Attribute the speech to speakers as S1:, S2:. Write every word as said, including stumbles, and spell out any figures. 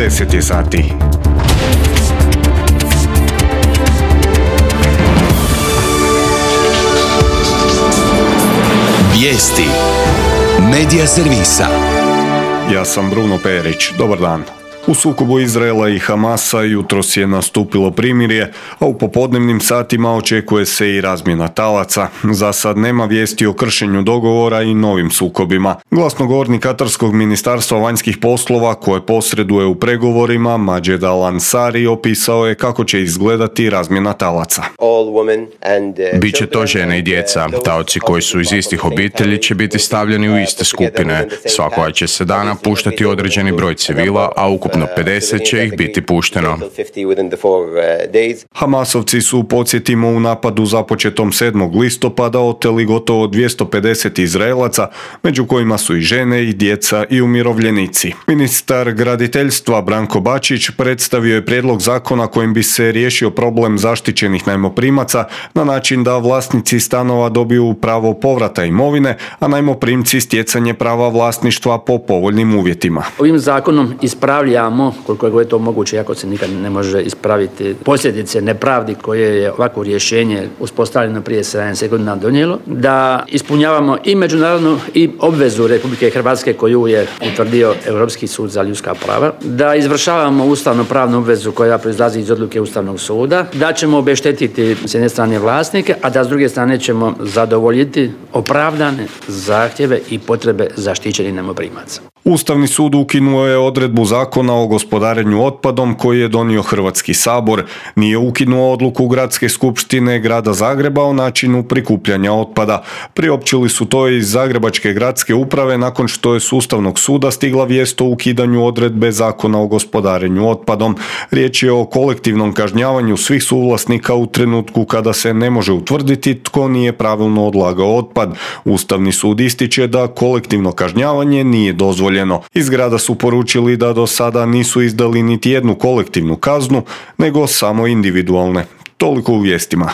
S1: deset je sati.
S2: Vijesti Medija servisa.
S1: Ja sam Bruno Perić. Dobar dan. U sukobu Izraela i Hamasa jutros je nastupilo primirje, a u popodnevnim satima očekuje se i razmjena talaca. Za sad nema vijesti o kršenju dogovora i novim sukobima. Glasnogovornik Katarskog ministarstva vanjskih poslova, koje posreduje u pregovorima, Mađed Al-Ansari, opisao je kako će izgledati razmjena talaca.
S3: Biće to žene i djeca. Taoci koji su iz istih obitelji će biti stavljeni u iste skupine. Svakoga će se dana puštati određeni broj civila, a ukupno pedeset će ih biti pušteno.
S1: Hamasovci su, podsjetimo, u napadu započetom sedmog listopada oteli gotovo dvjesto pedeset Izraelaca, među kojima su i žene i djeca i umirovljenici. Ministar graditeljstva Branko Bačić predstavio je prijedlog zakona kojim bi se riješio problem zaštićenih najmoprimaca na način da vlasnici stanova dobiju pravo povrata imovine, a najmoprimci stjecanje prava vlasništva po povoljnim uvjetima.
S4: Ovim zakonom ispravljamo, koliko je to moguće, iako se nikad ne može ispraviti posljedice nepravdi koje je ovako rješenje uspostavljeno prije sedamdeset godina donijelo, da ispunjavamo i međunarodnu i obvezu Republike Hrvatske koju je utvrdio Europski sud za ljudska prava, da izvršavamo ustavno-pravnu obvezu koja proizlazi iz odluke Ustavnog suda, da ćemo obeštetiti s jedne strane vlasnike, a da s druge strane ćemo zadovoljiti opravdane zahtjeve i potrebe zaštićenih najmoprimaca.
S1: Ustavni sud ukinuo je odredbu zakona o gospodarenju otpadom koji je donio Hrvatski sabor. Nije ukinuo odluku Gradske skupštine Grada Zagreba o načinu prikupljanja otpada. Priopćili su to iz Zagrebačke gradske uprave nakon što je s Ustavnog suda stigla vijest o ukidanju odredbe zakona o gospodarenju otpadom. Riječ je o kolektivnom kažnjavanju svih suvlasnika u trenutku kada se ne može utvrditi tko nije pravilno odlagao otpad. Ustavni sud ističe da kolektivno kažnjavanje nije dozvoljeno. Iz grada su poručili da do sada nisu izdali niti jednu kolektivnu kaznu, nego samo individualne. Toliko u vijestima.